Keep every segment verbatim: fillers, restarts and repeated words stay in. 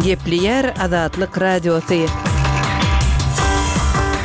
Gepleýär Azatlyk Radiosy.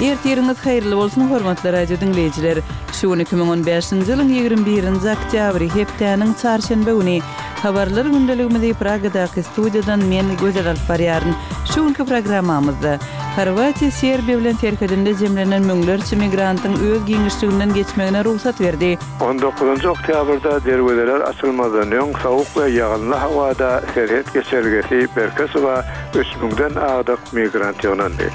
Ertiriňiz haýyrly bolsun, hormatly radio diňleýjiler. Şu gün iki müň on bäşinji ýylyň ýigrimi birinji oktýabry, hepdäniň çarşenbe güni. Habarlar gündeligimizi Pragadaky studiýadan men Gözel alyp barýaryn. Şu günki programmamyzda Horwatiýa Serbiýa bilen serhedinde jemlenen müňlerçe migrantyň öz giňişliginden geçmegine rugsat berdi. On dokuzynjy oktýabrda derwezeler açylmazdan öň sowuk we ýagynly hawada serhet geçelgesi Berkesowa üç müňden agdyk migrant ýygnandy.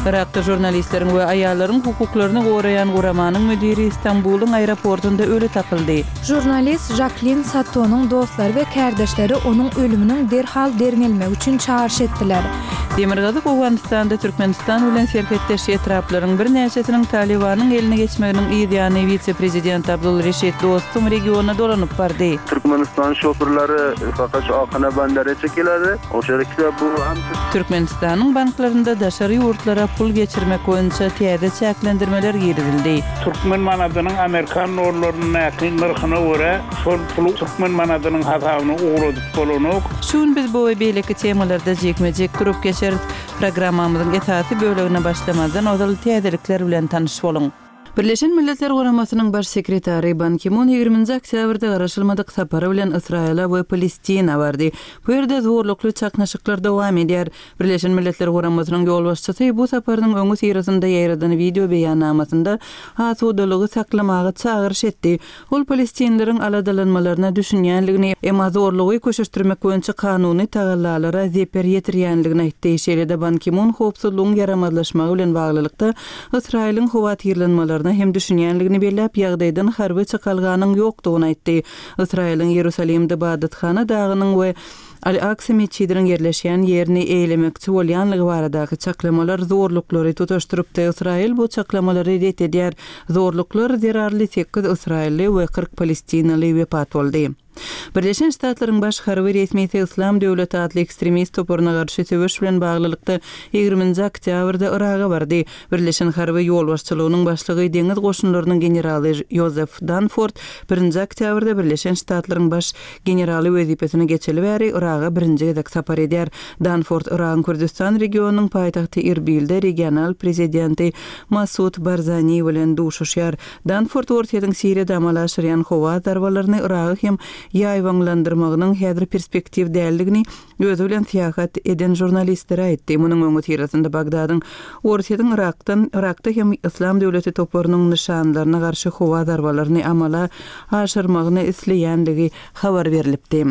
Yrakda žurnalistleriň we aýallaryň hukuklaryny goraýan guramanyň müdiri Stambulyň aeroportunda öli tapyldy. Žurnalist Žaklin Satonyň dostlary we kärdeşleri onuň ölüminiň derhal derňelmegi üçin çagyryş etdiler. Demirgazyk Owganystanda Türkmenistan bilen serhetdeş etraplaryň birnäçesiniň Talybanyň eline geçmeginiň yz ýany wise-prezident Abdul Reşit Dostum regiona dolanyp bardy. Türkmenistan şoförleri fakat şu Akana bandara çekiladi. Oşa bu Türkmenistanyň banklarynda daşary ýurtlara pul geçirmek boýunça täze çäklendirmeler girizildi. Türkmen manadynyň Amerikan dollaryndaky nyrhyna görä şol puly Türkmen manadynyň hasabyna ugradyp bolanok. Şu gün biz bu we beýleki temalarda jikme-jik durup geçeris. Programmamyzyň esasy bölegine başlamazdan ozal täzelikler bilen tanyş boluň. Birleşen Milletler Guramasynyň baş sekretary Ban Ki-mun ýigriminji oktýabrda garaşylmadyk sapary bilen Ysraýyla we Palestina bardy. Bu ýerde zorlukly çaknyşyklar dowam edýär. Birleşen Milletler Guramasynyň ýolbaşçysy bu saparynyň öňi syrasynda ýaýradan wideo beýannamasynda asudalygy saklamaga çagyryş etdi. Ol palestinleriň aladalanmalaryna düşünýänligini, emma zorlugy köşeşdirmek boýunça kanuny tagallalara zeper ýetirýänligini aýtdy. Şeýle-de Ban Ki-mun howpsuzlygyň ýaramazlaşmagy bilen baglylykda Ysraýylyň howatyrlanmalaryna hem düşünýänligini belläp, ýagdaýdan harby çykalganyň ýokdugyny aýtdy. Ysraýylyň Ýerusalimde Badathana dagynyň we Al-Aksa metjidiniň ýerleşýän ýerini eýlemekçi bolýanlygy baradaky çaklamalar zorluklary tutaşdyrypdy. Ysraýyl bu çaklamalary ret edýär. Zorluklar zerarly sekiz ysraýylly we kyrk palestinaly wepat boldy. Birleşen Ştatlaryň baş harby resmisi Yslam döwleti atly ekstremist toparyna garşy söweş bilen baglylykda ýigriminji oktýabrda Yraga bardy. Birleşen harby ýolbaşçylygynyň başlygy deňiz goşunlarynyň generaly Joseph Dunford birinji oktýabrda Birleşen Ştatlaryň baş generaly wezipesine geçeli bäri Yraga birinji gezek sapar edýär. Dunford Yragyň Kürdistan regionynyň paýtagty Irbilde regional prezidenti Masud Barzani bilen duşuşýar. Dunford Orsýetiň Siriýada amala aşyrýan howa zarbalaryny Yragy hem ýaýbaňlandyrmagynyň häzir perspektiw däldigini özi bilen syýahat eden žurnalistlere aýtdy. Munuň öňi syrasynda Bagdadyň Orsýetiň Yrakdan Yrakda hem Yslam döwleti toparynyň nyşanlaryna garşy howa zarbalaryny amala aşyrmagyny isleýänligi habar berilipdi.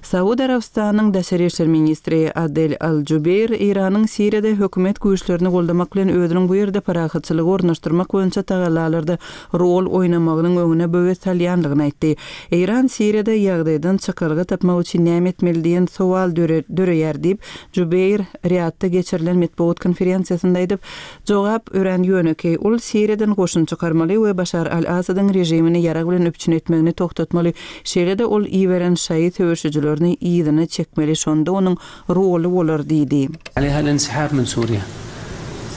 Saud Arabystanyň daşary işler ministri Adel Al-Jubeir Eýranyň Siriýada hökümet güýçlerini goldamak bilen özüniň bu ýerde parahatçylygy ornaşdyrmak boýunça tagallalarda rol oýnamagynyň öňüne böwet salýanlygyny aýtdy. Eýran Siriýada ýagdaýdan çykalga tapmak üçin näme etmeli diýen sowal döreýär diýip, Jubeir Riýadda geçirilen metbugat konferensiýasynda aýdyp, jogap örän ýönekeý. Ol Siriýadan goşun çykarmaly we Başar al-Asadyň režimini ýarag bilen üpjün etmegini togtatmaly. Şeýle-de ol iberen şaýy söweşijilerini yzyna çekmeli, şonda onuň roly bolar diýdi. عليها الانسحاب من سوريا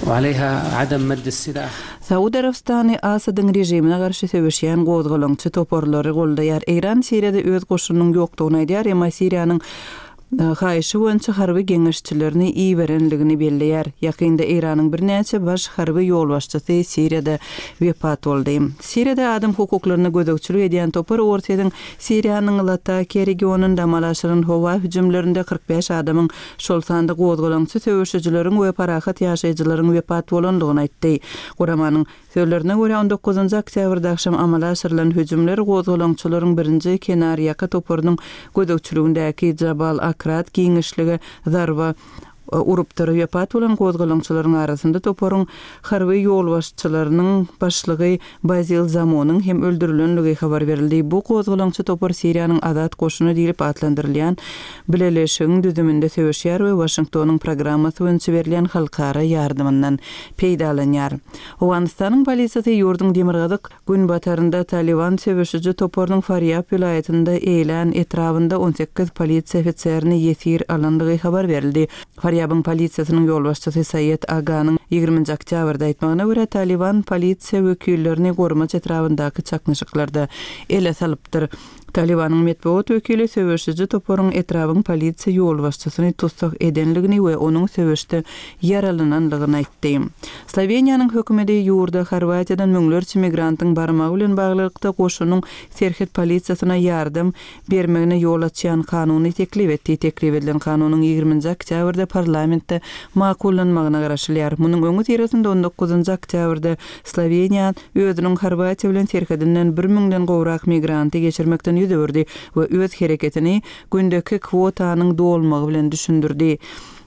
وعليها عدم مد السلاح. Saud Arabystany Asadyň režimine garşy söweşýän gozgalaňçy toparlary goldaýar. Eýran Siriýada öz goşunynyň ýokdugyny aýdýar, emma Siriýanyň haýyşy boýunça harby geňeşçilerini iberenligini belleýär. Ýakynda Eýranyň birnäçe baş harby ýolbaşçysy Siriýada wepat boldy. Siriýada adam hukuklaryna gözegçilik edýän topar Orsýetiň Siriýanyň Latakiýa regionynda amala aşyran howa hüjümlerinde kyrk bäş adamyň, şol sanda gozgalaňçy söweşijileriň we parahat ýaşaýjylaryň wepat bolandygyny aýtdy. Guramanyň sözlerine görä on dokuzynjy oktýabrda akşam amala aşyrylan hüjümler gozgalaňçylaryň birinji kenarýaka toparynyň gözegçiligindäki Jabal Akrat giňişlige zarba urupdyr. Wepat bolan gozgalaňçylaryň arasynda toparyň harby ýolbaşçylarynyň başlygy Bazil Zamonyň hem öldürilenligi habar berildi. Bu gozgalaňçy topar Siriýanyň Azat goşuny diýlip atlandyrylýan bileleşigiň düzüminde söweşýär we Waşingtonyň programmasy boýunça berilýän halkara ýardamyndan peýdalanýar. Owganystanyň polisiýasy ýurduň demirgazyk günbatarynda Taliban söweşiji toparynyň Farýab welaýatynda eýlän etrabynda on sekiz polisiýa ofiserini ýesir alandygy habar berildi. Farýabyň polisiýasynyň ýolbaşçysy Saýed Aganyň ýigriminji oktýabrda aýtmagyna görä Taliban polisiýa wekillerini Gormaç etrabyndaky çaknyşyklarda ele salypdyr. Talybanyň metbugat wekili söweşiji toparyň etrabyň polisiýa ýolbaşçysyny tussag edenligini we onuň söweşde ýaralananlygyny aýtdy. Sloweniýanyň hökümeti ýurda Horwatiýadan müňlerçe migrantyň barmagy bilen baglylykda goşunyň serhet polisiýasyna ýardam bermegine ýol açýan kanuny teklip etdi. Teklip edilen kanunyň ýigriminji oktýabrda parlamentde makullanmagyna garaşylýar. Munuň öňüsyrasynda on dokuzynjy oktýabrda Sloweniýa özüniň Horwatiýa bilen serhedinden bir müňden gowrak migranty geçirmekden ýüz öwürdi we öz hereketini gündeki kwotanyň dolmagy bilen düşündirdi.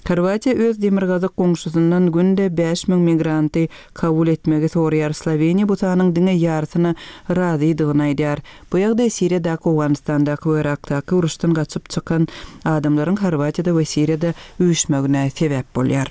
Horwatiýa öz demirgazyk goňşusyndan günde bäş müň migranty kabul etmegi soraýar. Sloweniýa bu sanyň diňe ýarysyna razydygyny aýdýar. Bu ýagdaý Siriýadaky, Owganystandaky we Yrakdaky uruşdan gaçyp çykan adamlaryň Horwatiýada we Siriýada üýşmegine sebäp bolýar.